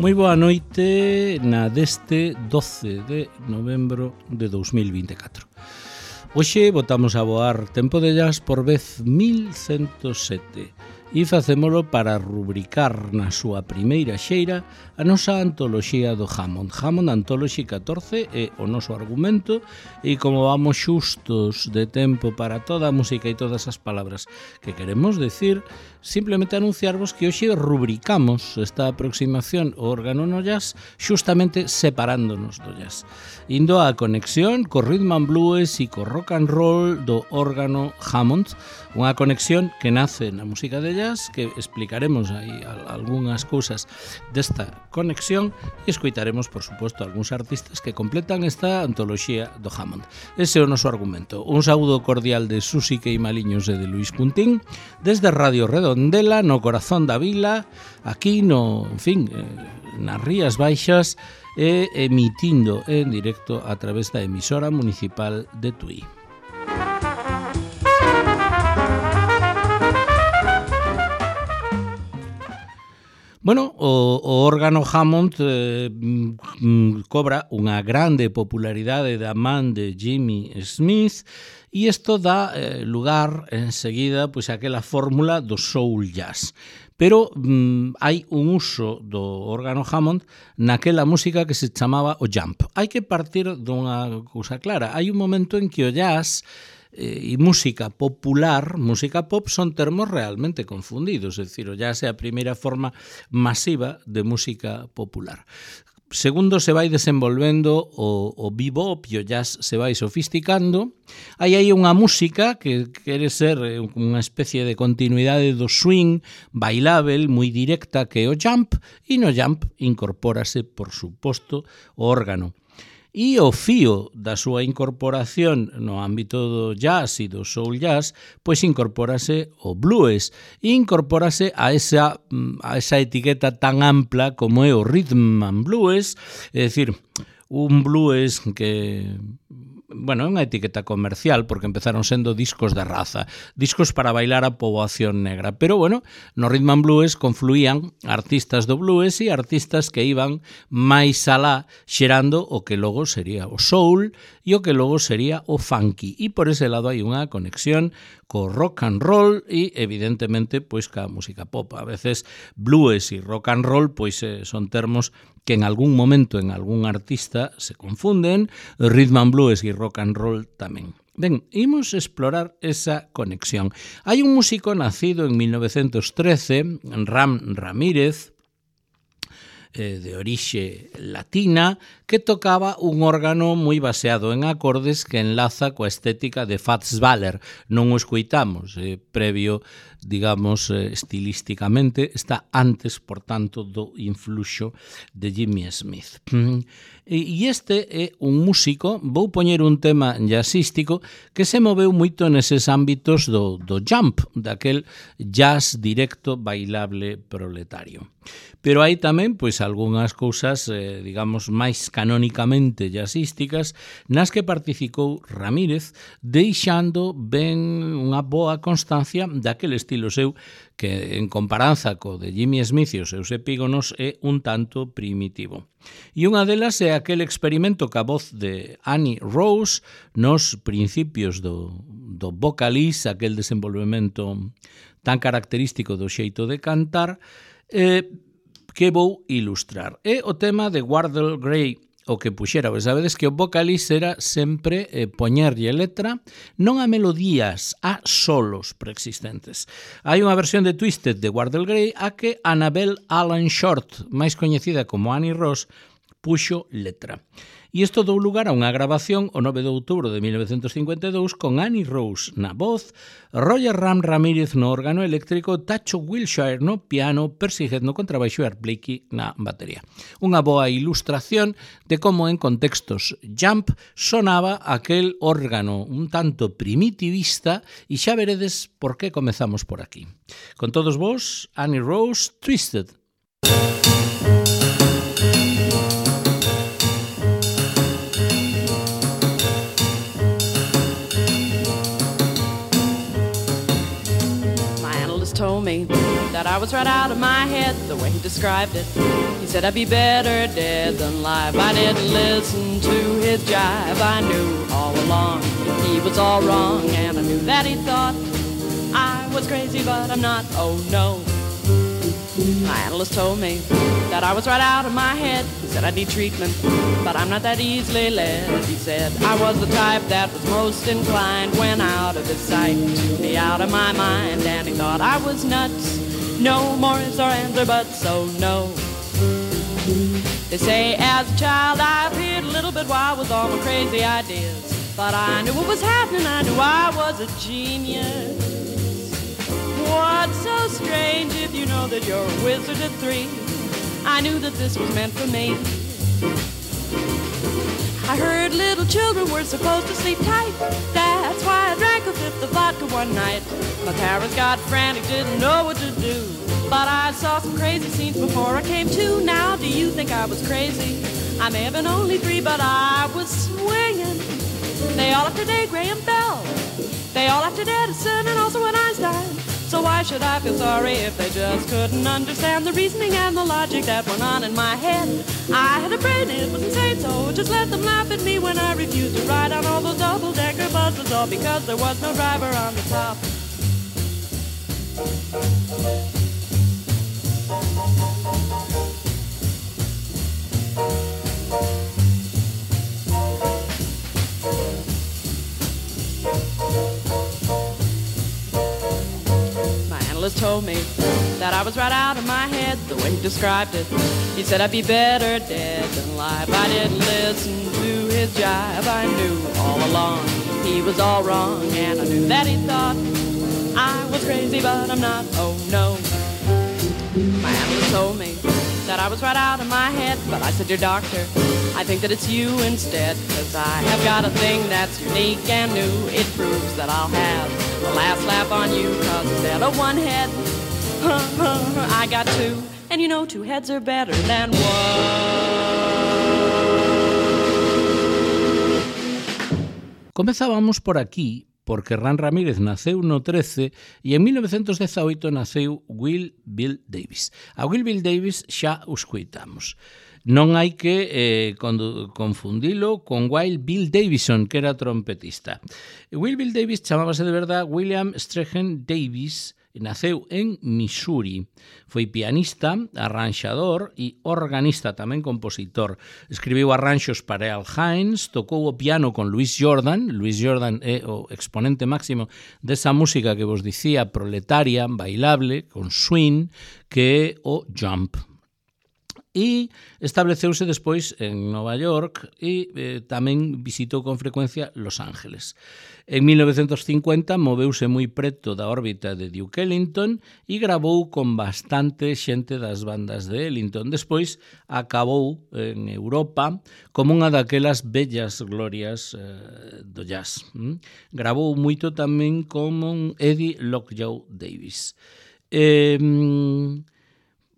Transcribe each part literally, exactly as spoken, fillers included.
Moi boa noite na deste doce de novembro de dous mil vinte e catro. Hoxe botamos a voar Tempo de Jazz por vez mil cento sete e facémolo para rubricar na súa primeira xeira a nosa antoloxía do Hammond. Hammond Anthology catorce é o noso argumento e como vamos xustos de tempo para toda a música e todas as palabras que queremos decir, simplemente anunciarvos que hoxe rubricamos esta aproximación ao órgano no jazz xustamente separándonos do jazz. Indo a conexión co rhythm and blues e co rock and roll do órgano Hammond, unha conexión que nace na música de jazz, que explicaremos aí algunhas cousas desta conexión e escoitaremos, por suposto, algúns artistas que completan esta antoloxía do Hammond. Ese é o noso argumento. Un saúdo cordial de Susi Queimaliños e de Luis Puntín desde Radio Redondela, no corazón da vila, aquí no, en fin, nas Rías Baixas e emitindo en directo a través da emisora municipal de Tui. Bueno, o, o órgano Hammond eh, mm, cobra unha grande popularidade da man de Jimmy Smith e isto dá eh, lugar enseguida pois, a aquela fórmula do soul jazz. Pero mm, hai un uso do órgano Hammond naquela música que se chamaba o jump. Hai que partir dunha cousa clara. Hai un momento en que o jazz e música popular, música pop, son termos realmente confundidos, é dicir, o jazz é a primeira forma masiva de música popular. Segundo se vai desenvolvendo o, o bebop e o jazz se vai sofisticando, hai aí unha música que quere ser unha especie de continuidade do swing bailável, moi directa, que é o jump, e no jump incorpórase, por suposto, o órgano. E o fío da súa incorporación no ámbito do jazz e do soul jazz, pois incorpórase o blues e incorpórase a esa, a esa etiqueta tan ampla como é o rhythm and blues, é dicir, un blues que... Bueno, é unha etiqueta comercial porque empezaron sendo discos de raza, discos para bailar a poboación negra, pero bueno, no rhythm and blues confluían artistas do blues e artistas que iban máis alá xerando o que logo sería o soul e o que logo sería o funky, e por ese lado hai unha conexión co rock and roll e evidentemente pois ca música pop. A veces blues e rock and roll pois eh, son termos que en algún momento en algún artista se confunden, rhythm and blues e rock and roll tamén. Ben, imos explorar esa conexión. Hai un músico nacido en mil novecentos trece, Ram Ramírez, eh, de orixe latina, que tocaba un órgano moi baseado en acordes que enlaza coa estética de Fats Waller. Non o escoitamos, eh, previo, digamos, eh, estilísticamente, está antes, por tanto, do influxo de Jimmy Smith. E este é un músico, vou poñer un tema jazzístico que se moveu moito neses ámbitos do, do jump, daquel jazz directo bailable proletario. Pero hai tamén, pois, algunhas cousas, eh, digamos, máis canónicamente jazzísticas nas que participou Ramírez, deixando ben unha boa constancia daquele estilo seu que, en comparanza co de Jimmy Smith e os seus epígonos, é un tanto primitivo. E unha delas é aquel experimento ca voz de Annie Rose nos principios do, do vocalís, aquel desenvolvemento tan característico do xeito de cantar, eh, que vou ilustrar. É o tema de Wardell Gray, o que puxera, pois sabedes que o vocalís era sempre eh, poñerlle letra non a melodías, a solos preexistentes. Hai unha versión de Twisted de Wardell Gray a que Annabelle Allen Short, máis coñecida como Annie Rose, puxo letra. E isto dou lugar a unha grabación o nove de outubro de mil novecentos cincuenta e dous con Annie Rose na voz, Roger Ram Ramírez no órgano eléctrico, Tacho Wilshire no piano, Percy Head no contrabaixo e Art Blakey na batería. Unha boa ilustración de como en contextos jump sonaba aquel órgano un tanto primitivista e xa veredes por que comezamos por aquí. Con todos vos, Annie Rose, Twisted. Told me that I was right out of my head the way he described it. He said I'd be better dead than alive. I didn't listen to his jive. I knew all along he was all wrong, and I knew that he thought I was crazy, but I'm not, oh no. My analyst told me that I was right out of my head. He said I need treatment, but I'm not that easily led. He said I was the type that was most inclined when out of his sight to be out of my mind, and he thought I was nuts. No more ifs or ands or buts, so no. They say as a child I appeared a little bit wild with all my crazy ideas, but I knew what was happening, I knew I was a genius. What's so strange if you know that you're a wizard at three? I knew that this was meant for me. I heard little children were supposed to sleep tight. That's why I drank a fifth of vodka one night. My parents got frantic, didn't know what to do. But I saw some crazy scenes before I came to. Now do you think I was crazy? I may have been only three, but I was swinging. They all after Dave Graham Bell. They all after Edison and also an Einstein. So why should I feel sorry if they just couldn't understand the reasoning and the logic that went on in my head? I had a brain, it was insane, so just let them laugh at me when I refused to ride on all those double-decker buses, all because there was no driver on the top. Told me that I was right out of my head the way he described it. He said I'd be better dead than alive. I didn't listen to his jive. I knew all along he was all wrong, and I knew that he thought I was crazy, but I'm not, oh no. My analyst told me that I was right out of my head, but I said, dear doctor, I think that it's you instead, cause I have got a thing that's unique and new. It proves that I'll have the last laugh on you, cause instead of one head, I got two. And you know two heads are better than one. Comezábamos por aquí, porque Ran Ramírez naceu no trece e en mil novecientos dezaoito naceu Will Bill Davis. A Will Bill Davis xa o escoitamos. Non hai que eh, confundilo con Wild Bill Davison, que era trompetista. Will Bill Davis chamábase de verdade William Strachan Davis, e naceu en Missouri. Foi pianista, arranxador e organista, tamén compositor. Escribiu arranxos para Earl Hines, tocou o piano con Louis Jordan. Louis Jordan é o exponente máximo desa música que vos dicía proletaria, bailable, con swing, que é o jump. E estableceuse despois en Nova York e eh, tamén visitou con frecuencia Los Ángeles. En mil novecientos cincuenta moveuse moi preto da órbita de Duke Ellington e grabou con bastante xente das bandas de Ellington. Despois acabou en Europa como unha daquelas bellas glorias eh, do jazz. Mm? Grabou moito tamén como Eddie Lockjaw Davis. Eh,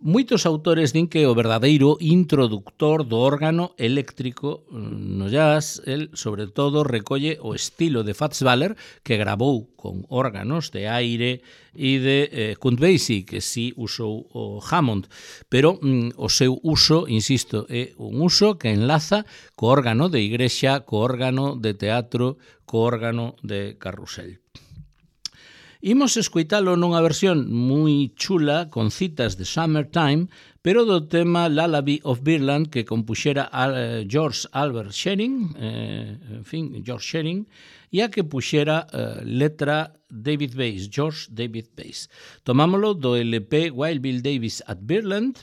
Moitos autores din que o verdadeiro introductor do órgano eléctrico no jazz, el, sobre todo, recolle o estilo de Fats Waller, que grabou con órganos de aire, e de eh, Count Basie, que sí usou o Hammond, pero mm, o seu uso, insisto, é un uso que enlaza co órgano de igrexa, co órgano de teatro, co órgano de carrusel. Imos escoitalo nunha versión moi chula con citas de Summertime, pero do tema Lullaby of Birdland que compuxera George Albert Shearing, eh, en fin, George Shearing, e a que puxera eh, letra David Bass, George David Bass. Tomámolo do L P Wild Bill Davis at Birdland,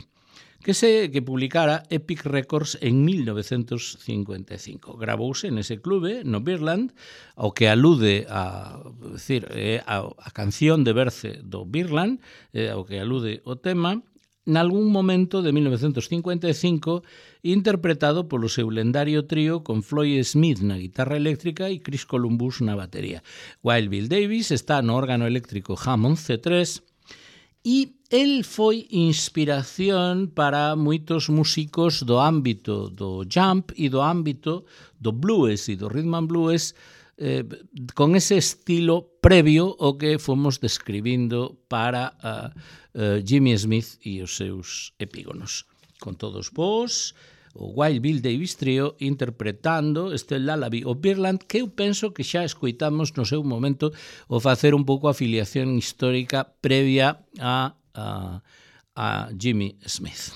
que se que publicara Epic Records en mil novecientos cincuenta e cinco. Gravouse nese clube, no Birdland, ao que alude a, decir, a, a canción de Berce do Birdland, ao que alude o tema, nalgún momento de mil novecientos cincuenta e cinco, interpretado polo seu lendario trío con Floyd Smith na guitarra eléctrica e Chris Columbus na batería. Wild Bill Davis está no órgano eléctrico Hammond C tres, e el foi inspiración para moitos músicos do ámbito do jump e do ámbito do blues e do rhythm and blues eh, con ese estilo previo ao que fomos describindo para uh, uh, Jimmy Smith e os seus epígonos. Con todos vos, o Wild Bill Davis Trio interpretando este Lullaby of Birdland, que eu penso que xa escoitamos no seu momento o facer un pouco a afiliación histórica previa a, a, a Jimmy Smith.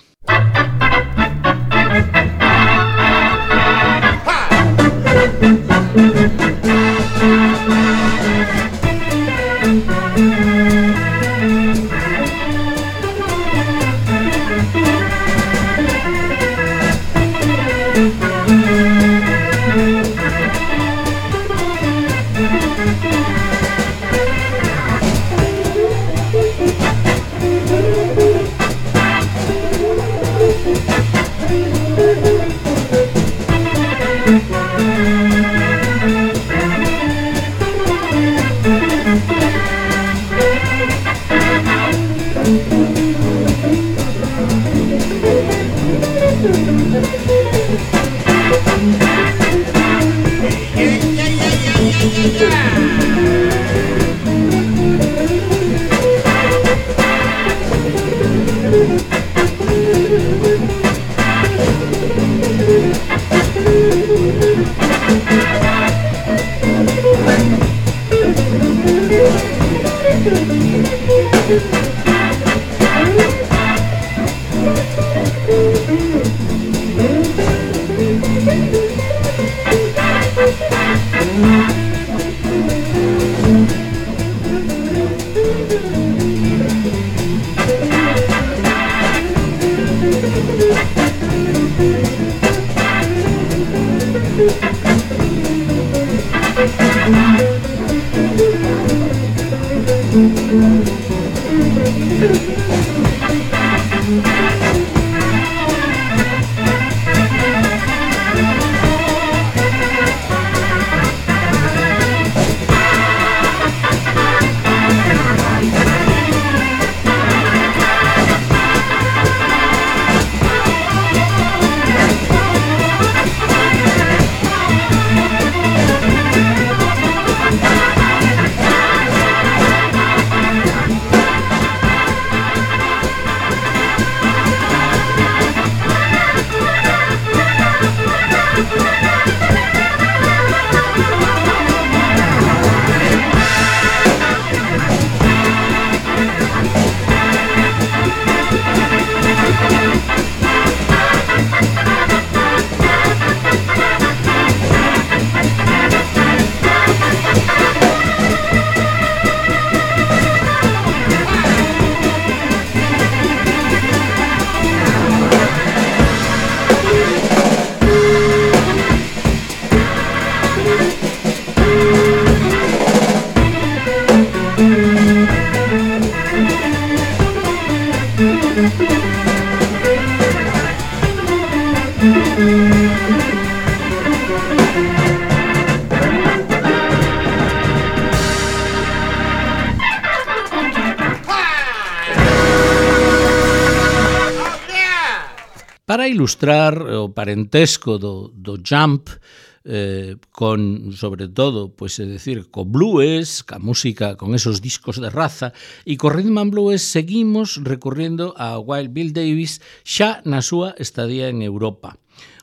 Para ilustrar o parentesco do, do jump, eh, con, sobre todo, pues, é dicir, co blues, ca música, con esos discos de raza, e co rhythm and blues seguimos recorrendo a Wild Bill Davis xa na súa estadía en Europa.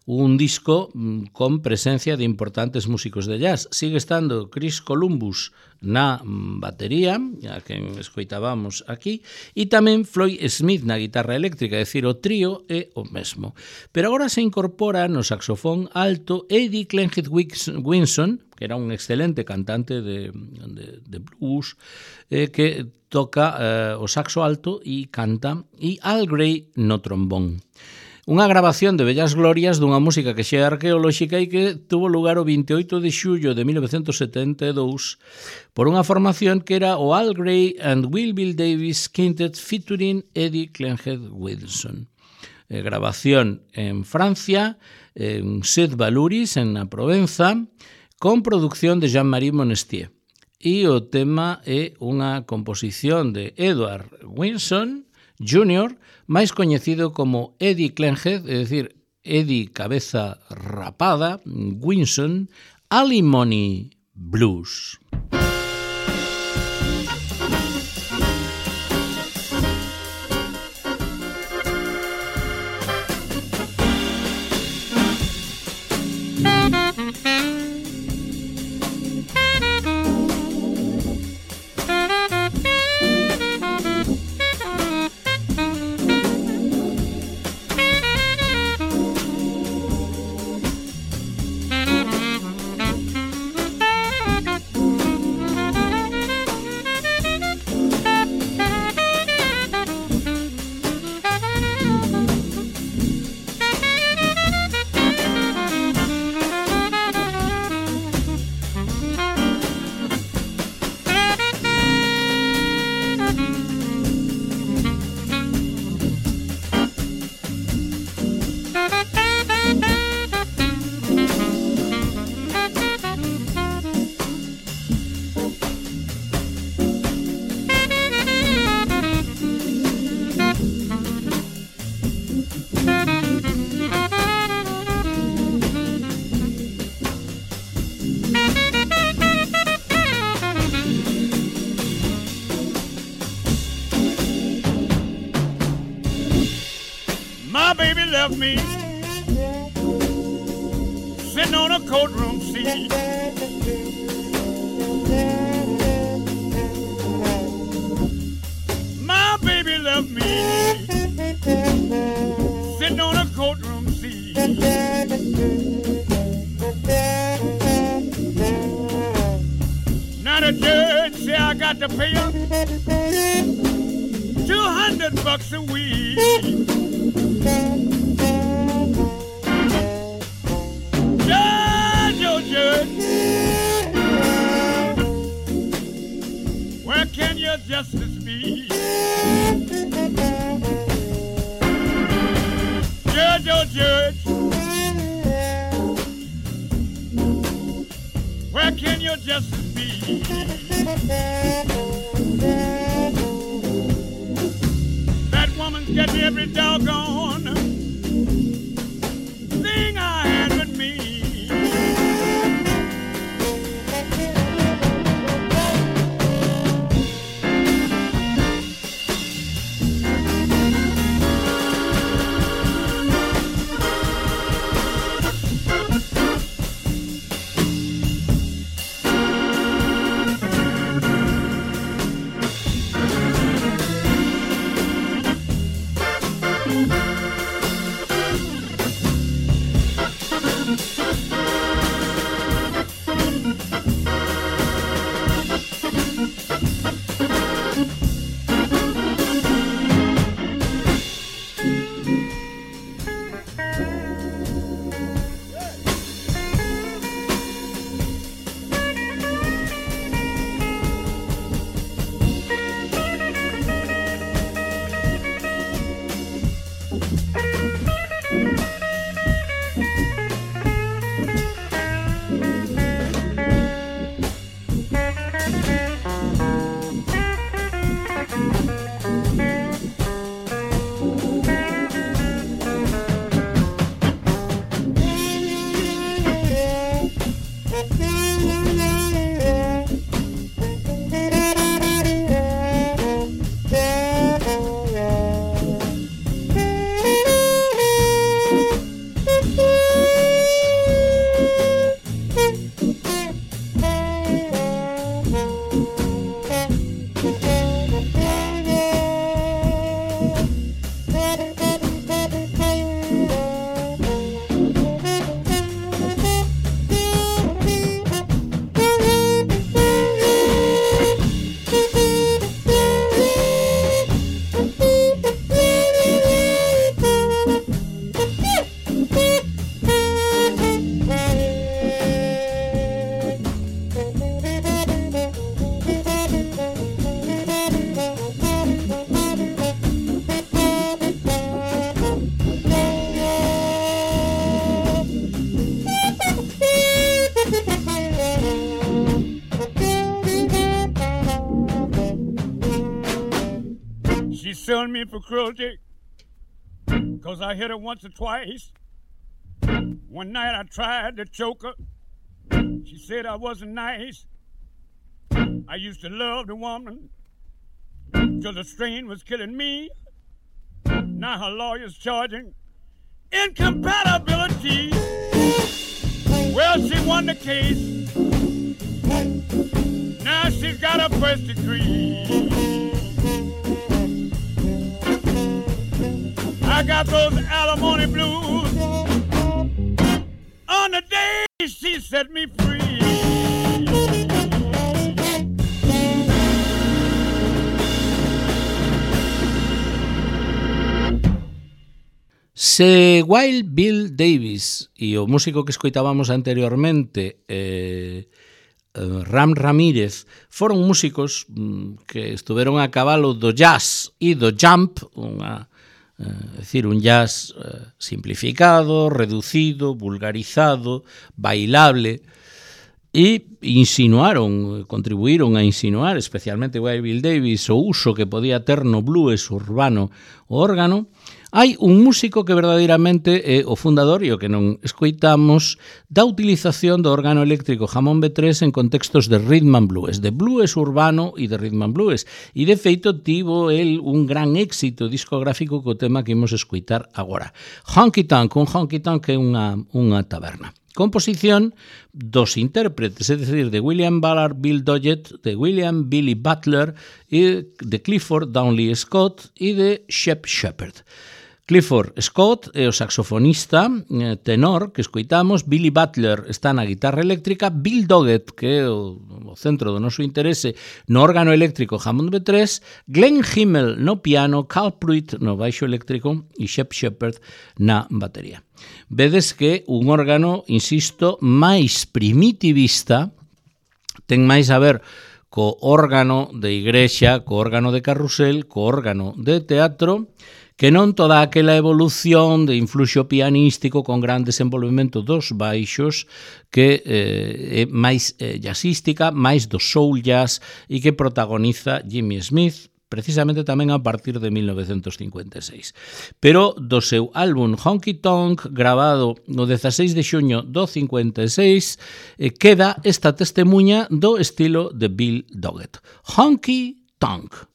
Un disco con presencia de importantes músicos de jazz. Sigue estando Chris Columbus na batería, a quen escoitábamos aquí, e tamén Floyd Smith na guitarra eléctrica, é dicir, o trío é o mesmo. Pero agora se incorpora no saxofón alto Eddie Clenhead Winson, que era un excelente cantante de, de, de blues, eh, que toca eh, o saxo alto e canta, e Al Gray no trombón. Unha grabación de bellas glorias dunha música que xa é arqueolóxica e que tuvo lugar o veintioito de xullo de mil novecentos setenta e dous por unha formación que era o Al Gray and Wild Bill Davis Quintet featuring Eddie Clenhead Winson. Eh, grabación en Francia, en Sèvres-Valouris, en a Provenza, con producción de Jean-Marie Monestier. E o tema é unha composición de Edward Winson júnior, máis coñecido como Eddie Clenhead, é dicir, Eddie Cabeza Rapada, Winson, Alimony Blues. Left me sitting on a courtroom seat. My baby left me sitting on a courtroom seat. Now the judge say I got to pay her two hundred bucks a week. Judge, oh judge, where can your justice be? Judge, oh judge, where can your justice be? That woman's getting every doggone thing I had with me. Suing me for cruelty, cause I hit her once or twice. One night I tried to choke her, She said I wasn't nice. I used to love the woman till the strain was killing me. Now her lawyer's charging incompatibility. Well, she won the case. Now she's got a first degree. I got those alimony blues on the day she set me free. Se Wild Bill Davis e o músico que escoitábamos anteriormente, eh, eh, Ram Ramírez, foron músicos mm, que estuveron a cabalo do jazz e do jump, unha, eh, decir, un jazz eh, simplificado, reducido, vulgarizado, bailable, e insinuaron, contribuíron a insinuar, especialmente Wild Bill Davis, o uso que podía ter no blues urbano o órgano. Hai un músico que verdadeiramente é o fundador, e o que non escoitamos, da utilización do órgano eléctrico Hammond B tres en contextos de rhythm and blues, de blues urbano e de rhythm and blues. E, de feito, tivo el un gran éxito discográfico co tema que imos escoitar agora. Honky Tonk, un honky tonk é unha, unha taberna. Composición dos intérpretes, é dicir, de William Ballard Bill Doggett, de William Billy Butler, e de Clifford Downley Scott e de Shep Shepherd. Clifford Scott é o saxofonista eh, tenor que escoitamos, Billy Butler está na guitarra eléctrica, Bill Doggett, que é o, o centro do noso interese, no órgano eléctrico Hammond B tres, Glenn Himmel no piano, Carl Pruitt no baixo eléctrico e Shep Shepherd na batería. Vedes que un órgano, insisto, máis primitivista, ten máis a ver co órgano de igrexa, co órgano de carrusel, co órgano de teatro, que non toda aquela evolución de influxo pianístico con gran desenvolvemento dos baixos que eh, é máis eh, jazzística, máis do soul jazz e que protagoniza Jimmy Smith, precisamente tamén a partir de mil novecentos cincuenta e seis. Pero do seu álbum Honky Tonk, grabado no dezaseis de xuño do cincuenta e seis, eh, queda esta testemunha do estilo de Bill Doggett. Honky Tonk.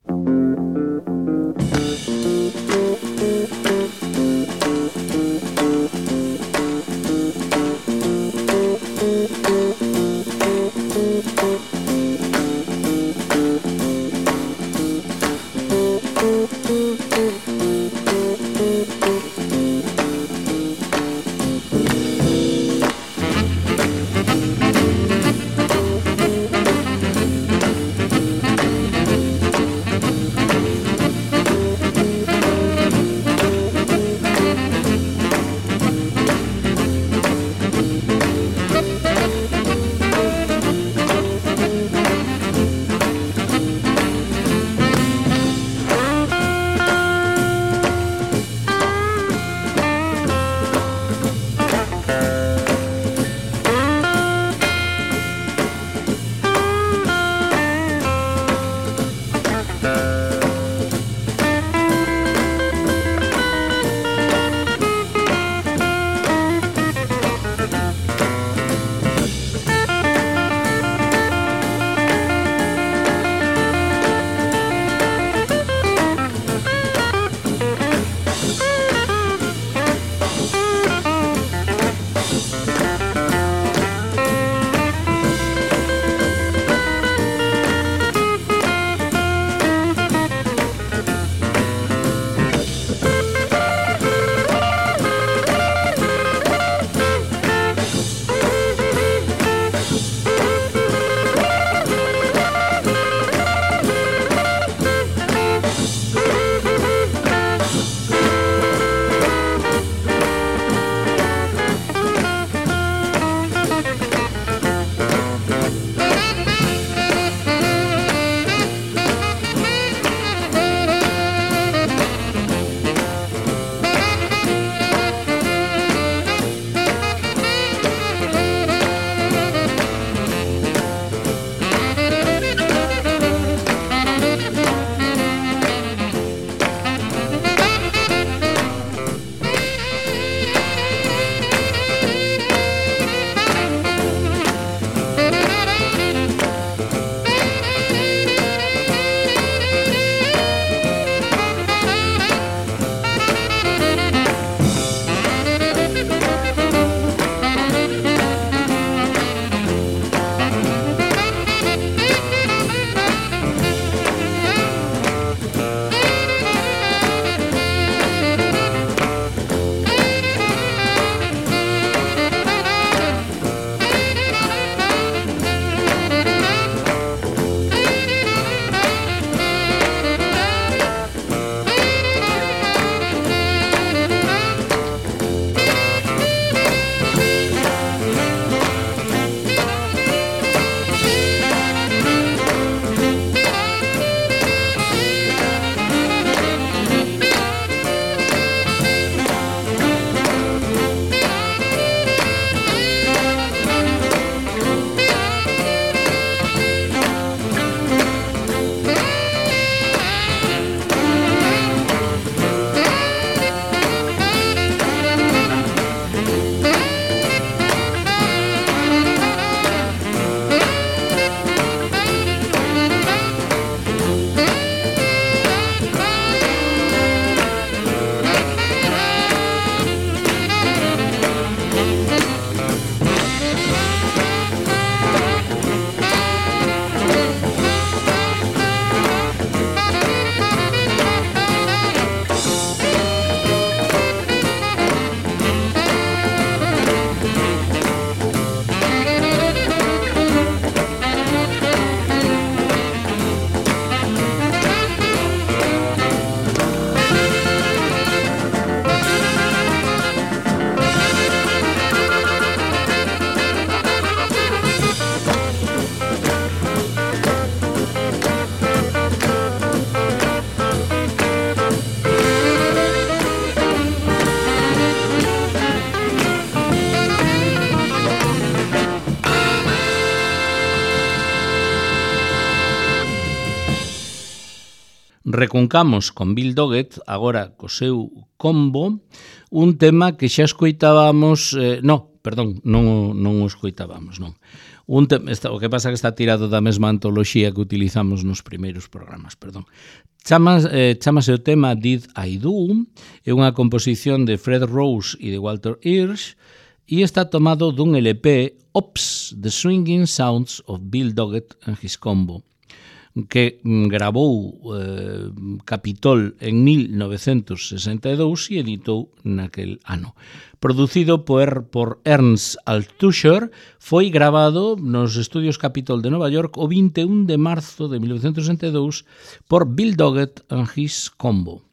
Recuncamos con Bill Doggett, agora co seu combo, un tema que xa escoitábamos, eh, no, perdón, non, non o escoitábamos, non. Un te, esta, o que pasa que está tirado da mesma antoloxía que utilizamos nos primeiros programas, perdón. Chamas, eh, chamase o tema Did I Do, é unha composición de Fred Rose e de Walter Hirsch, e está tomado dun L P, Ops, The Swinging Sounds of Bill Doggett and His Combo, que gravou eh, Capitol en mil novecentos sesenta e dous e editou naquel ano. Producido por, por Ernst Althusser, foi gravado nos estudios Capitol de Nova York o vinte e un de marzo de mil novecentos sesenta e dous por Bill Doggett and His Combo.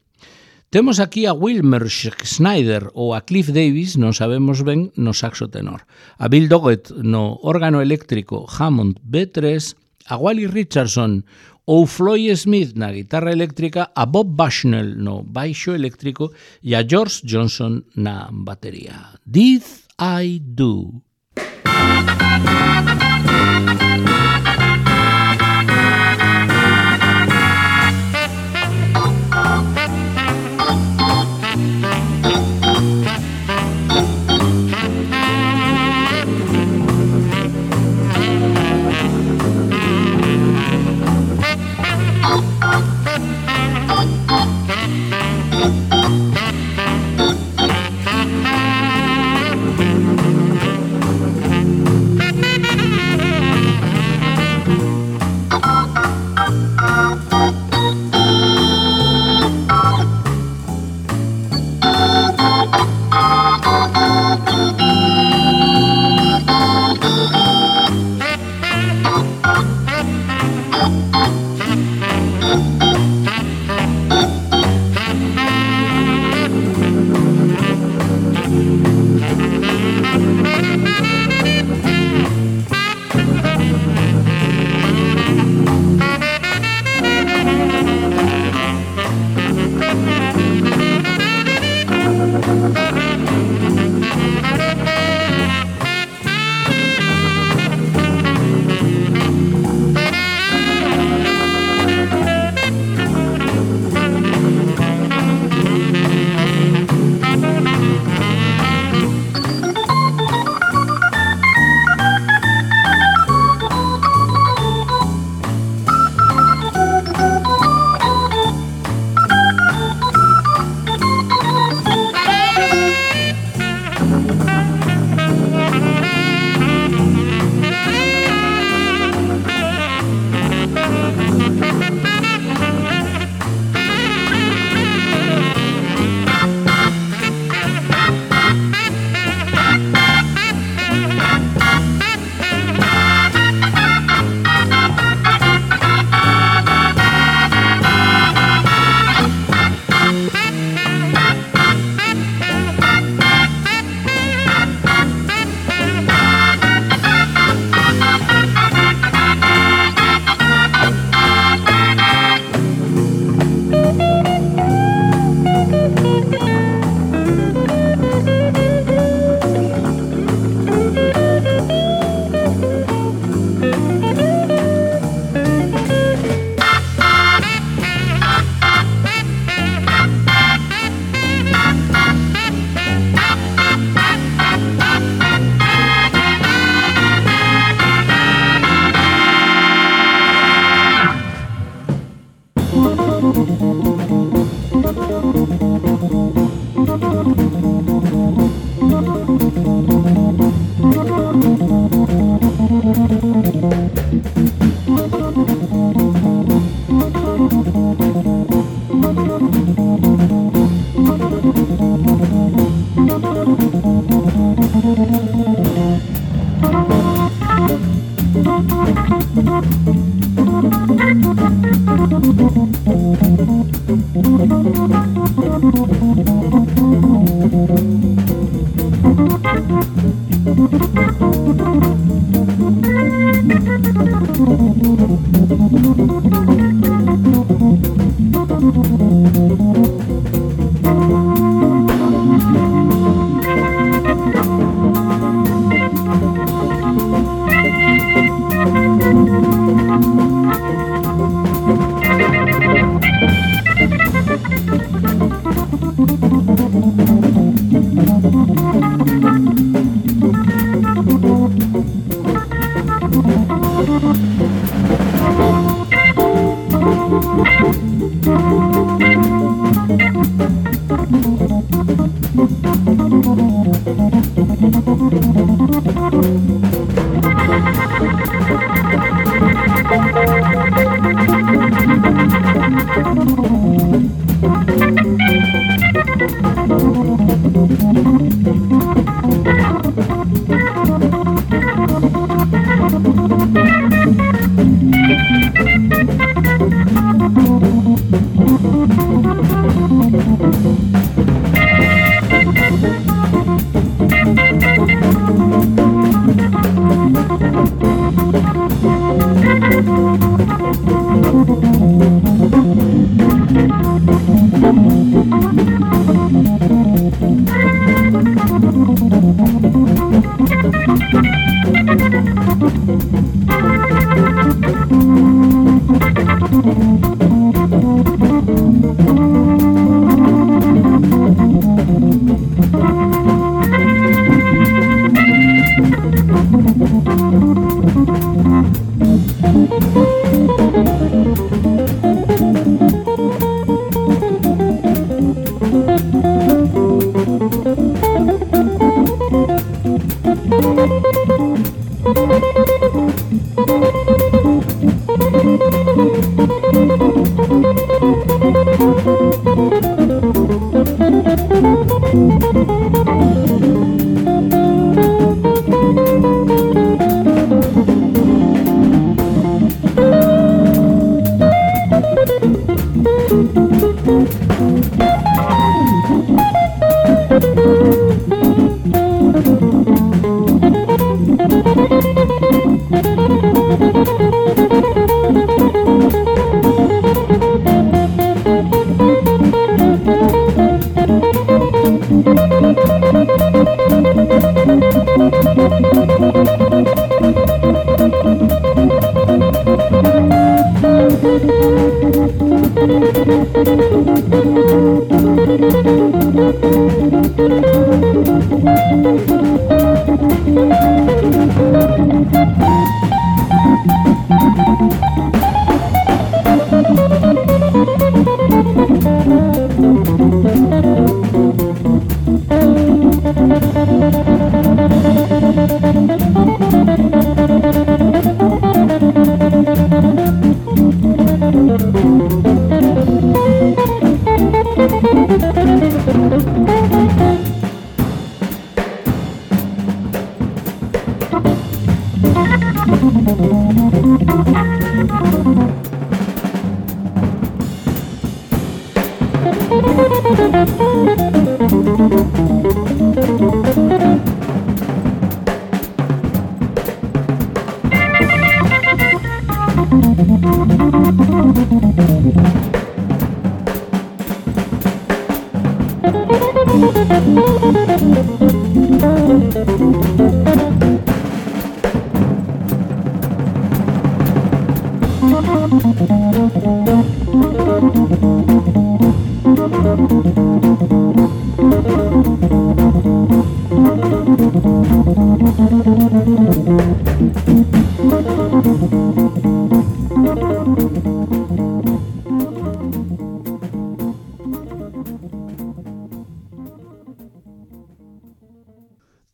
Temos aquí a Wilmer Schneider ou a Cliff Davis, non sabemos ben, no saxo tenor. A Bill Doggett no órgano eléctrico Hammond B tres, a Wally Richardson ou Floyd Smith na guitarra eléctrica, a Bob Bushnell no baixo eléctrico e a George Johnson na batería. Did I Do?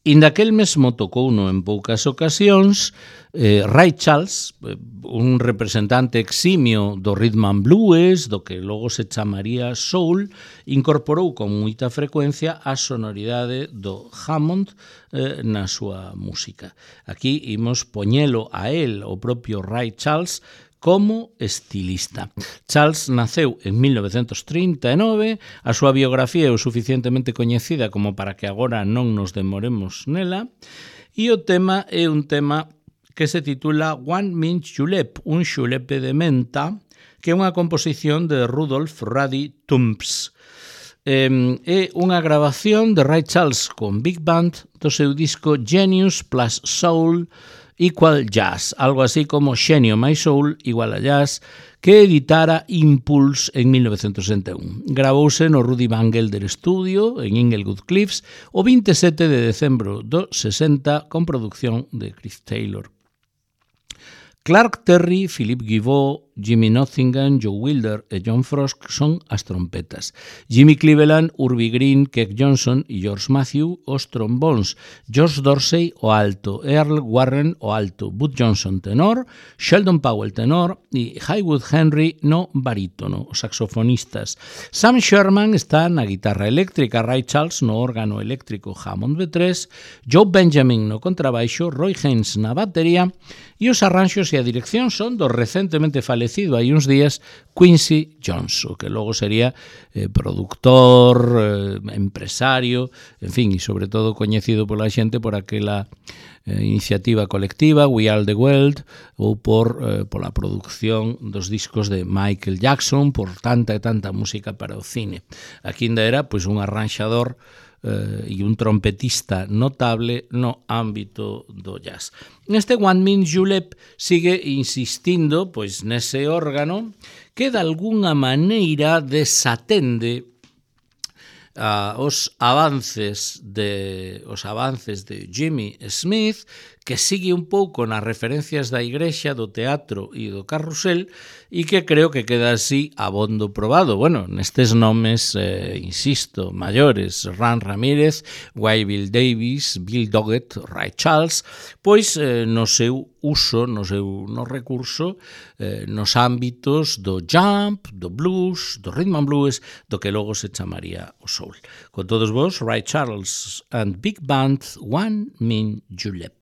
Inda aquel mesmo tocouno en poucas ocasións, eh, Ray Charles, un representante eximio do rhythm and blues, do que logo se chamaría soul, incorporou con moita frecuencia a sonoridade do Hammond eh, na súa música. Aquí imos poñelo a él, o propio Ray Charles, como estilista. Charles naceu en mil novecentos trinta e nove, a súa biografía é o suficientemente coñecida como para que agora non nos demoremos nela, e o tema é un tema que se titula One Mint Julep, un xulepe de menta, que é unha composición de Rudolf Ruddy Tumps. Eh, é unha grabación de Ray Charles con Big Band do seu disco Genius plus Soul Equal Jazz, algo así como Xenio máis Soul igual a Jazz, que editara Impulse en mil novecentos sesenta e un. Gravouse no Rudy Van Gelder Studio en Inglewood Cliffs o vinte e sete de decembro do sesenta con producción de Chris Taylor. Clark Terry, Philippe Guibaud, Jimmy Nottingham, Joe Wilder e John Frost son as trompetas. Jimmy Cleveland, Urbie Green, Keck Johnson e George Matthew os trombóns, George Dorsey o alto, Earl Warren o alto, Bud Johnson tenor, Sheldon Powell tenor e Haywood Henry no barítono, os saxofonistas. Sam Sherman está na guitarra eléctrica, Ray Charles no órgano eléctrico Hammond B tres, Joe Benjamin no contrabaixo, Roy Haynes na batería e os arranxos e a dirección son do recentemente falecido hai uns días Quincy Jones, que logo sería eh, productor, eh, empresario, en fin, e sobre todo coñecido pola xente por aquela eh, iniciativa colectiva We Are the World ou por eh, pola producción dos discos de Michael Jackson, por tanta e tanta música para o cine. Aquí ainda era pois un arranxador Uh, e un trompetista notable no ámbito do jazz. Neste One Min Julep sigue insistindo pois nese órgano que de alguna maneira desatende uh, os avances de os avances de Jimmy Smith, que sigue un pouco nas referencias da igrexa, do teatro e do carrusel, e que creo que queda así abondo probado. Bueno, nestes nomes, eh, insisto, maiores, Ran Ramírez, Wyville Davis, Bill Doggett, Ray Charles, pois eh, no seu uso, no seu no recurso, eh, nos ámbitos do jump, do blues, do rhythm and blues, do que logo se chamaría o soul. Con todos vos, Ray Charles and Big Band, One Min Julep.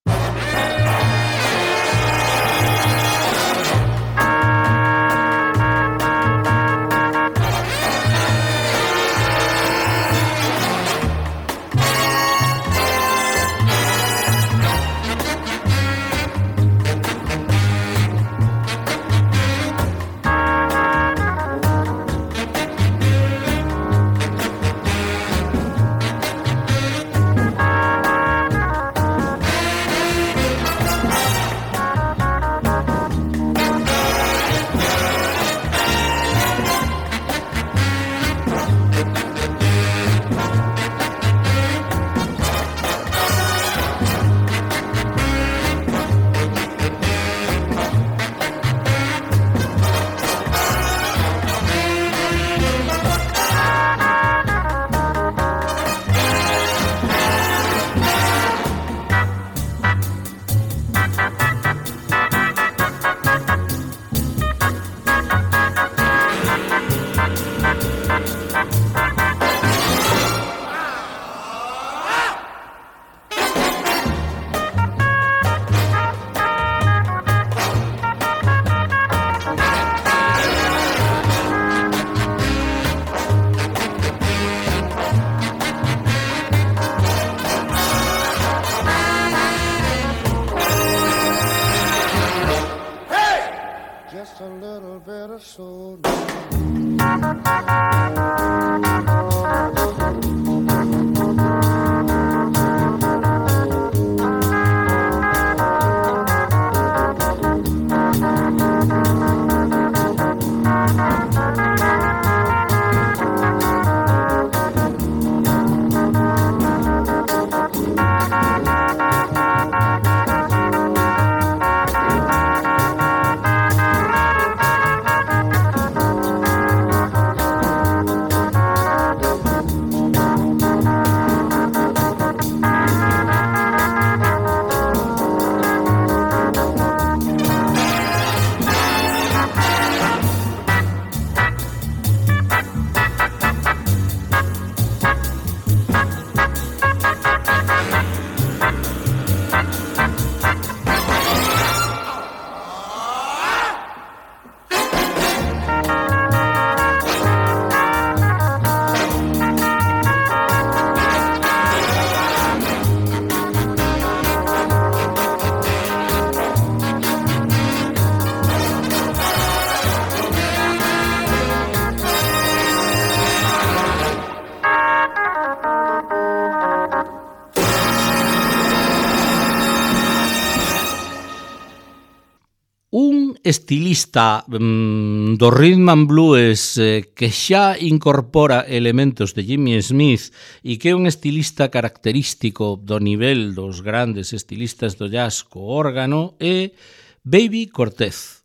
Estilista mm, do rhythm and blues eh, que xa incorpora elementos de Jimmy Smith e que é un estilista característico do nivel dos grandes estilistas do jazz co órgano é Baby Cortez.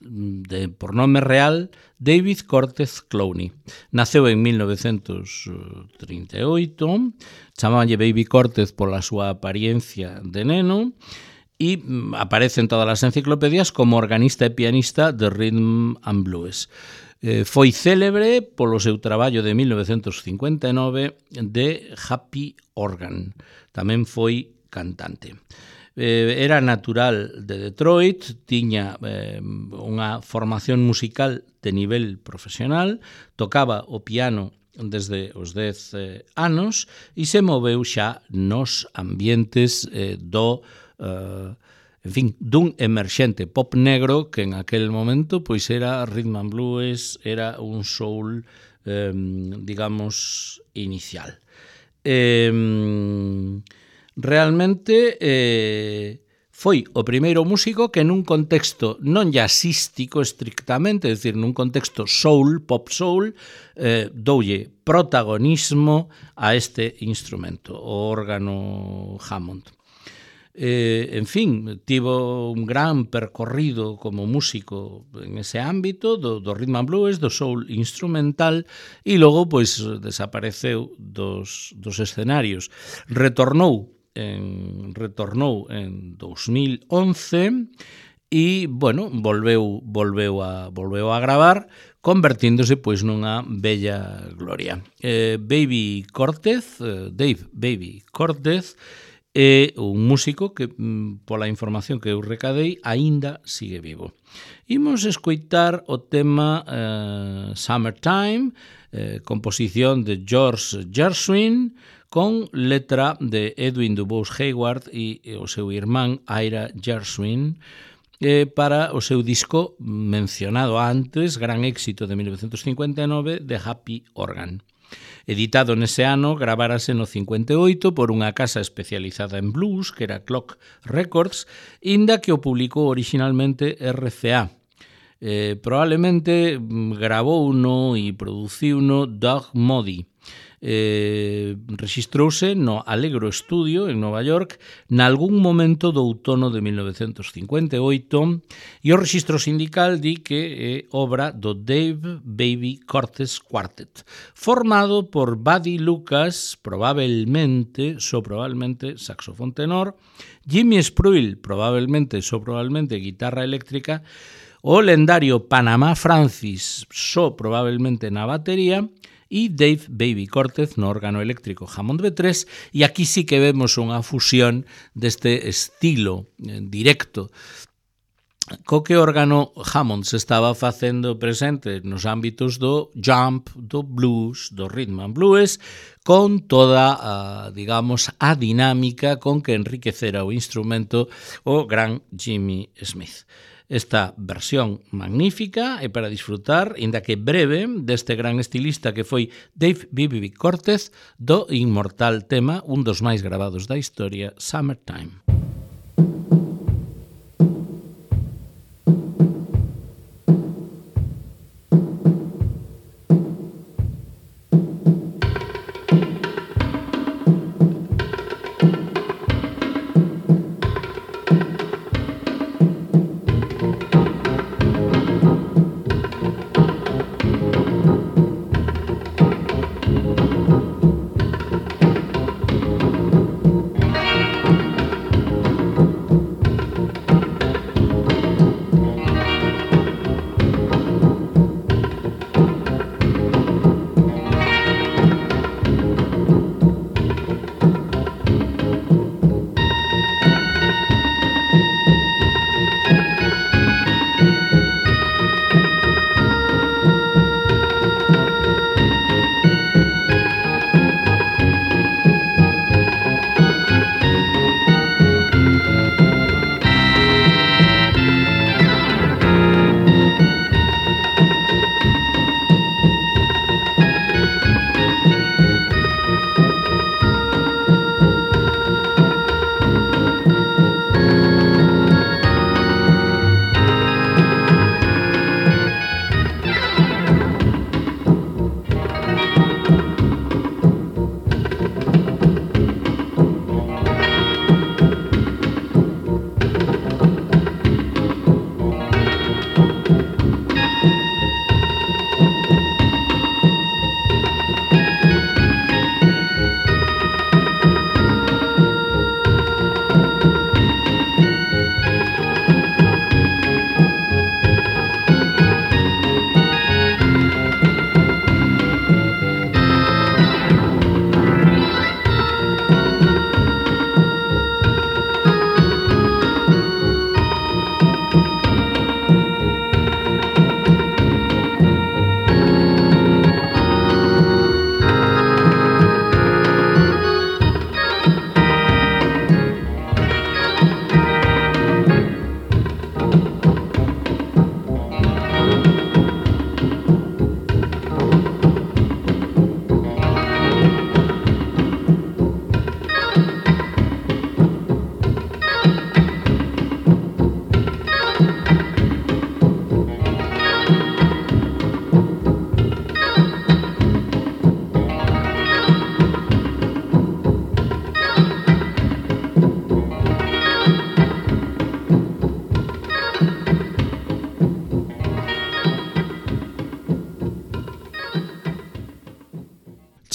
de, por nome real, David Cortez Clowney. Naceu en mil novecentos trinta e oito, chamabanlle Baby Cortez pola súa apariencia de neno, e aparece en todas as enciclopedias como organista e pianista de rhythm and blues. Eh, foi célebre polo seu traballo de mil novecentos cincuenta e nove de Happy Organ. Tamén foi cantante. Eh, era natural de Detroit, tiña eh, unha formación musical de nivel profesional, tocaba o piano desde os dez eh, anos e se moveu xa nos ambientes eh, do Uh, en fin, dun emerxente pop negro que en aquel momento pois era rhythm and blues, era un soul, eh, digamos, inicial. Eh, realmente eh, foi o primeiro músico que nun contexto non jazzístico estrictamente, é dicir, nun contexto soul, pop soul, eh, doulle protagonismo a este instrumento, o órgano Hammond. Eh, en fin, tivo un gran percorrido como músico en ese ámbito do, do rhythm and blues, do soul instrumental, e logo pois desapareceu dos, dos escenarios. Retornou en, retornou en dos mil once e, bueno, volveu, volveu, a, volveu a gravar, convertíndose pois nunha bella gloria. Eh, Baby Cortez, eh, Dave Baby Cortez, é un músico que, pola información que eu recadei, aínda sigue vivo. Imos escoitar o tema eh, Summertime, eh, composición de George Gershwin, con letra de Edwin Dubois Hayward e o seu irmán Ira Gershwin, eh, para o seu disco mencionado antes, gran éxito de mil novecentos cincuenta e nove, de Happy Organ. Editado nese ano, gravárase no cincuenta e oito por unha casa especializada en blues, que era Clock Records, inda que o publicou originalmente R C A. Eh, probablemente gravouno e produciuno Doug Moody. Eh, rexistrouse no Allegro Studio en Nova York nalgún momento do outono de mil novecentos cincuenta e oito, e o rexistro sindical di que é obra do Dave Baby Cortez Quartet, formado por Buddy Lucas, probablemente, so probablemente saxofón tenor, Jimmy Spruill, probablemente, so probablemente guitarra eléctrica, o lendario Panamá Francis, so probablemente na batería, e Dave Baby Cortez no órgano eléctrico Hammond B tres, e aquí sí que vemos unha fusión deste estilo directo co que o órgano Hammond se estaba facendo presente nos ámbitos do jump, do blues, do rhythm and blues, con toda a, digamos, a dinámica con que enriquecera o instrumento o gran Jimmy Smith. Esta versión magnífica é para disfrutar, inda que breve, deste gran estilista que foi Dave Baby Cortez, do inmortal tema, un dos máis gravados da historia, Summertime.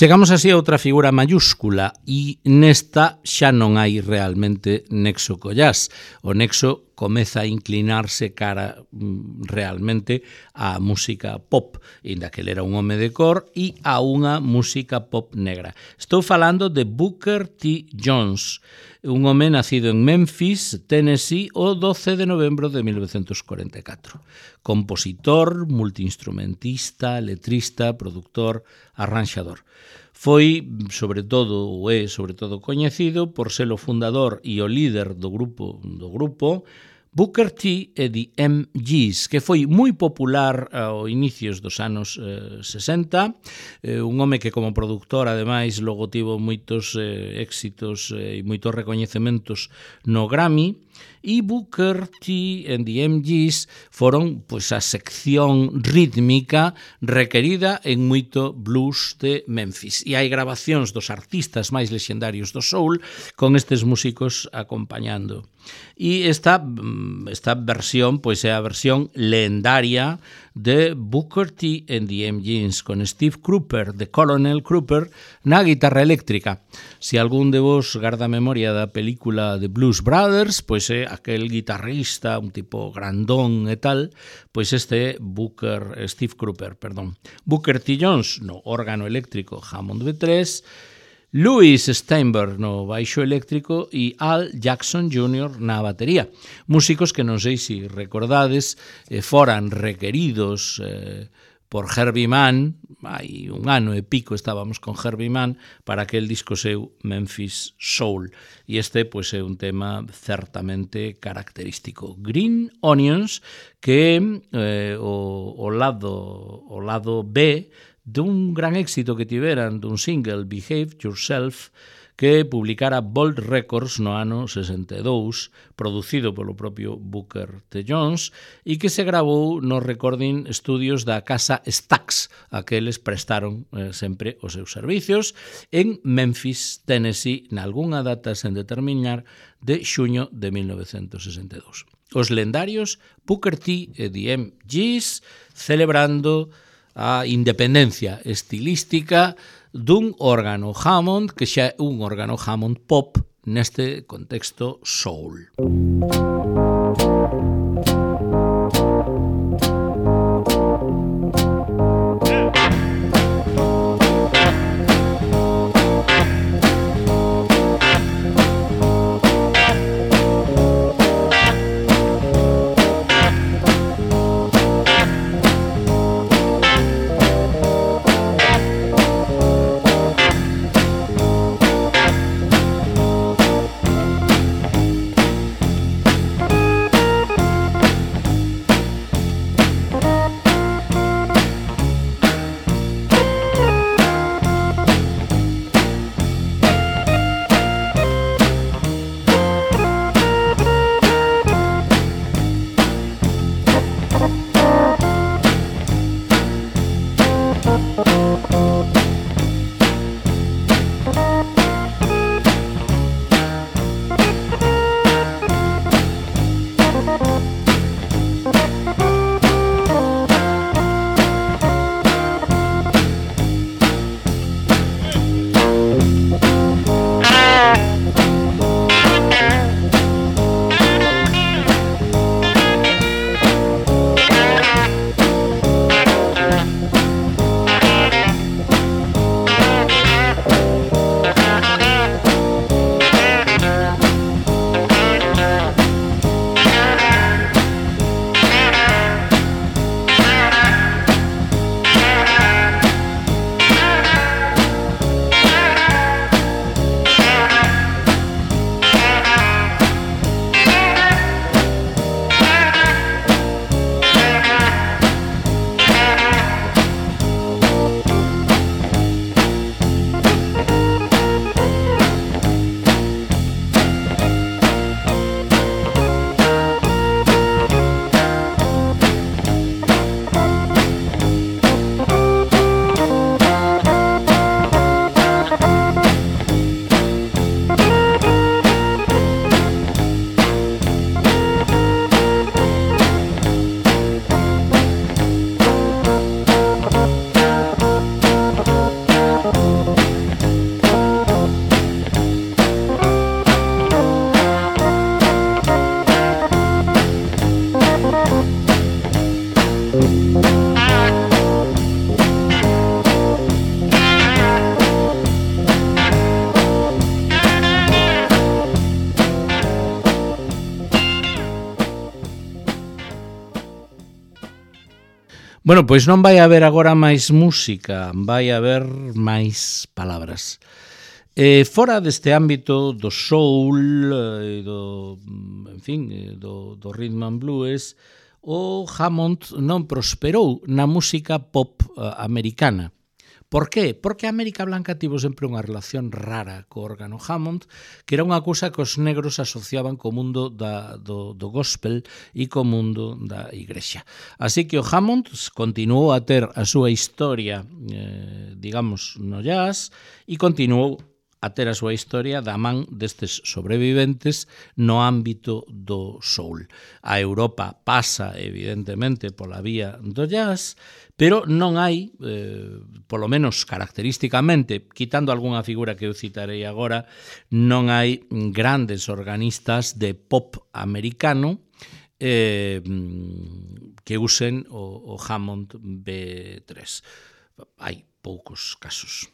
Chegamos así a outra figura mayúscula e nesta xa non hai realmente nexo co jazz. O nexo comeza a inclinarse cara mm, realmente á música pop, inda que ele era un home de cor, e a unha música pop negra. Estou falando de Booker T. Jones, un home nacido en Memphis, Tennessee, o doce de novembro de mil novecientos cuarenta e catro. Compositor, multiinstrumentista, letrista, productor, arranxador. Foi, sobre todo, ou é, sobre todo, coñecido por ser o fundador e o líder do grupo do grupo Booker T e The M Gs, que foi moi popular ao inicios dos anos eh, sesenta, eh, un home que como productor, ademais, logo tivo moitos eh, éxitos e eh, moitos recoñecementos no Grammy, e Booker T and the M Gs foron pois, a sección rítmica requerida en moito blues de Memphis. E hai grabacións dos artistas máis lexendarios do soul con estes músicos acompañando. E esta, esta versión pois, é a versión lendaria de Booker T and the M Gs con Steve Cropper, de Colonel Cropper, na guitarra eléctrica. Se algún de vos garda memoria da película de Blues Brothers, pois é aquel guitarrista, un tipo grandón e tal, pois este é Booker, Steve Cropper, perdón. Booker T. Jones no órgano eléctrico Hammond B tres, Louis Steinberg no baixo eléctrico e Al Jackson júnior na batería. Músicos que non sei se recordades, eh, foran requeridos eh, por Herbie Mann, hai un ano e pico estábamos con Herbie Mann para aquel disco seu Memphis Soul. E este pois, é un tema certamente característico. Green Onions, que eh, o, o, lado, o lado B dun gran éxito que tiveran dun single, Behave Yourself, que publicara Bold Records no ano sesenta e dous, producido polo propio Booker T. Jones, e que se gravou nos recording studios da casa Stax, a que eles prestaron eh, sempre os seus servicios, en Memphis, Tennessee, nalgúnha data sen determinar, de xuño de mil novecientos sesenta e dous. Os lendarios Booker T e The M Gs celebrando a independencia estilística dun órgano Hammond que xa é un órgano Hammond pop neste contexto soul. Bueno, pois non vai haber agora máis música, vai haber máis palabras. Eh, fora deste ámbito do soul, eh, do, en fin, do, do rhythm and blues, o Hammond non prosperou na música pop uh, americana. Por qué? Porque a América Blanca tivo sempre unha relación rara co órgano Hammond, que era unha cousa que os negros asociaban co mundo da, do, do gospel e co mundo da igrexa. Así que o Hammond continuou a ter a súa historia, eh, digamos, no jazz, e continuou a ter a súa historia da man destes sobreviventes no ámbito do soul. A Europa pasa, evidentemente, pola vía do jazz, pero non hai, eh, polo menos característicamente, quitando algunha figura que eu citarei agora, non hai grandes organistas de pop americano eh, que usen o, o Hammond B tres. Hai poucos casos.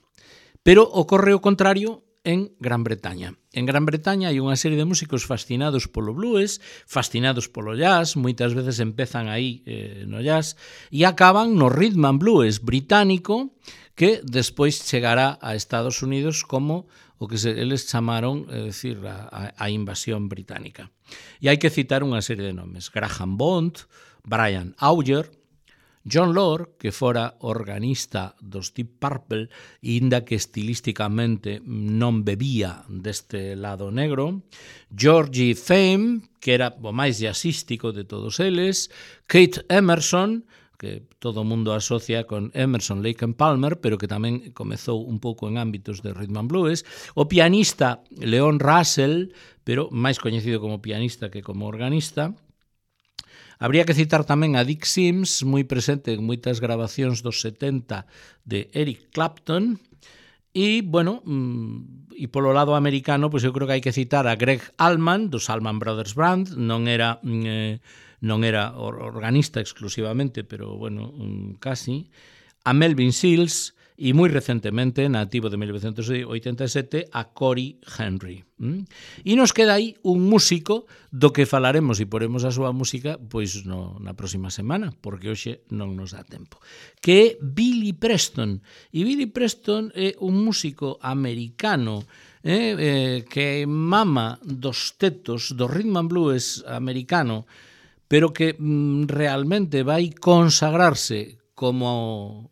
Pero ocorre o contrario en Gran Bretaña. En Gran Bretaña hai unha serie de músicos fascinados polo blues, fascinados polo jazz, moitas veces empezan aí eh, no jazz, e acaban no rhythm and blues británico, que despois chegará a Estados Unidos como o que se, eles chamaron, é dicir, a, a invasión británica. E hai que citar unha serie de nomes: Graham Bond, Brian Auger, John Lord, que fora organista dos Deep Purple, inda que estilísticamente non bebía deste lado negro, Georgie Fame, que era o máis jazzístico de todos eles, Kate Emerson, que todo o mundo asocia con Emerson, Lake and Palmer, pero que tamén comezou un pouco en ámbitos de rhythm and blues, o pianista Leon Russell, pero máis coñecido como pianista que como organista. Habría que citar tamén a Dick Sims, moi presente en moitas grabacións dos setenta de Eric Clapton. E, bueno, e polo lado americano, pois eu creo que hai que citar a Greg Allman, dos Allman Brothers Band. Non era, eh, non era organista exclusivamente, pero, bueno, casi. A Melvin Seals e, moi recentemente, nativo de mil novecientos oitenta e sete, a Corey Henry. ¿Mm? E nos queda aí un músico do que falaremos e poremos a súa música pois no, na próxima semana, porque hoxe non nos dá tempo, que é Billy Preston. E Billy Preston é un músico americano eh, eh, que mama dos tetos do rhythm and blues americano, pero que mm, realmente vai consagrarse como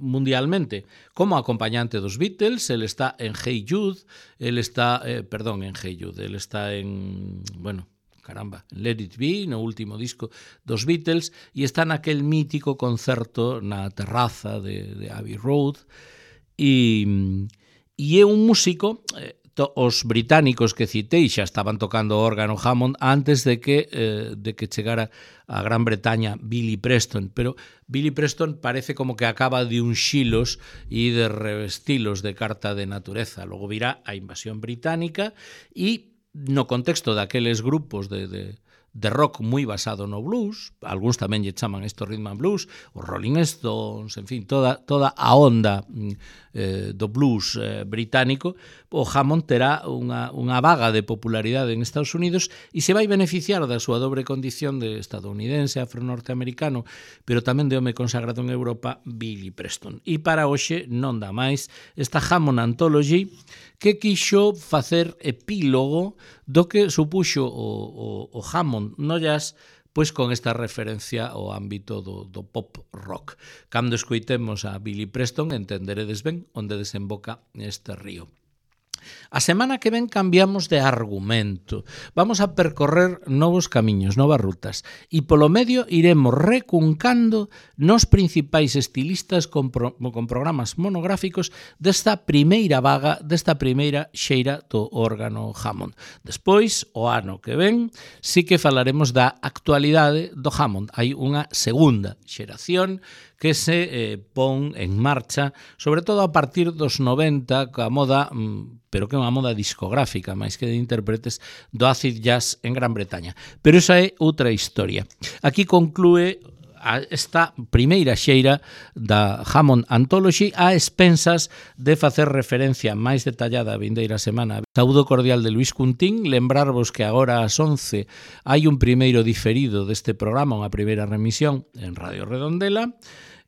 mundialmente como acompañante dos Beatles. Ele está en Hey Jude, ele está, eh, perdón, en Hey Jude, ele está en, bueno, caramba, Let It Be, no último disco dos Beatles, e está naquel mítico concerto na terraza de, de Abbey Road, e, e é un músico, eh, to, os británicos que citei xa estaban tocando o órgano Hammond antes de que, eh, de que chegara a Gran Bretaña Billy Preston, pero Billy Preston parece como que acaba de unxilos e de revestilos de carta de natureza. Logo virá a invasión británica e no contexto daqueles grupos de, de, de rock moi basado no blues, algúns tamén lle chaman isto rhythm and blues, os Rolling Stones, en fin, toda, toda a onda eh, do blues eh, británico, o Hammond terá unha, unha vaga de popularidade en Estados Unidos e se vai beneficiar da súa dobre condición de estadounidense, afro-norteamericano, pero tamén de home consagrado en Europa, Billy Preston. E para hoxe non dá máis esta Hammond Anthology, que quixo facer epílogo do que supuxo o, o, o Hammond no jazz, pois con esta referencia ao ámbito do, do pop rock. Cando escoitemos a Billy Preston entenderedes ben onde desemboca este río. A semana que ven cambiamos de argumento. Vamos a percorrer novos camiños, novas rutas, e polo medio iremos recuncando nos principais estilistas con, pro, con programas monográficos desta primeira vaga, desta primeira xeira do órgano Hammond. Despois, o ano que ven, sí que falaremos da actualidade do Hammond. Hai unha segunda xeración que se eh, pon en marcha, sobre todo a partir dos noventa, coa moda, pero que é unha moda discográfica, máis que de intérpretes, do acid jazz en Gran Bretaña. Pero esa é outra historia. Aquí conclúe esta primeira xeira da Hammond Anthology a expensas de facer referencia máis detallada a vindeira semana. Saúdo cordial de Luis Cuntín, lembrarvos que agora ás once hai un primeiro diferido deste programa, unha primeira remisión en Radio Redondela,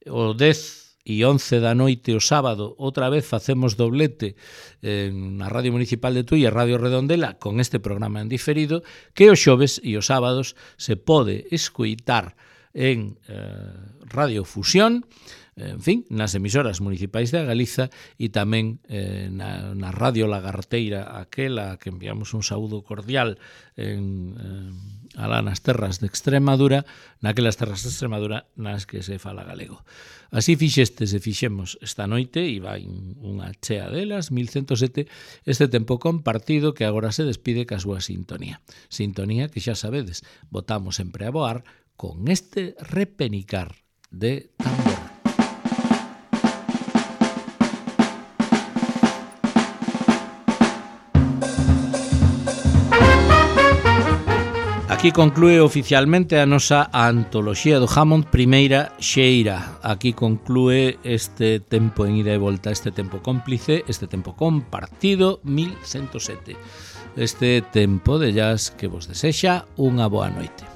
o dez e once da noite o sábado outra vez facemos doblete na Radio Municipal de Tui e Radio Redondela con este programa en diferido, que os xoves e os sábados se pode escoitar en eh, Radio Fusión, en fin, nas emisoras municipais de Galiza e tamén eh, na, na Radio Lagarteira, aquela que enviamos un saúdo cordial en, eh, alá nas terras de Extremadura, naquelas terras de Extremadura nas que se fala galego. Así fixestes e fixemos esta noite, e vai unha chea delas, mil ciento sete, este tempo compartido que agora se despide ca súa sintonía. Sintonía que xa sabedes, botamos sempre a voar con este repenicar de tambor. Aquí conclúe oficialmente a nosa antoloxía do Hammond primeira xeira. Aquí conclúe este tempo en ida e volta, este tempo cómplice, este tempo compartido mil ciento sete. Este tempo de jazz que vos desexa unha boa noite.